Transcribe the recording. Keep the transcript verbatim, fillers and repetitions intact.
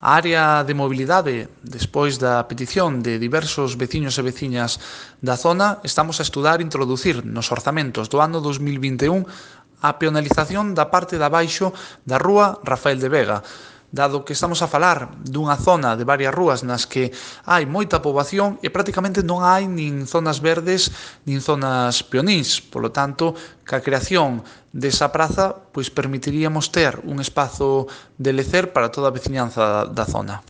A área de mobilidade, despois da petición de diversos veciños e veciñas da zona, estamos a estudar introducir nos orzamentos do ano dos mil vinte e un a peonalización da parte de abaixo da rúa Rafael de Vega, dado que estamos a falar dunha zona de varias rúas nas que hai moita poboación e prácticamente non hai nin zonas verdes nin zonas peonís. Polo tanto, ca creación desa praza, pois permitiríamos ter un espazo de lecer para toda a veciñanza da zona.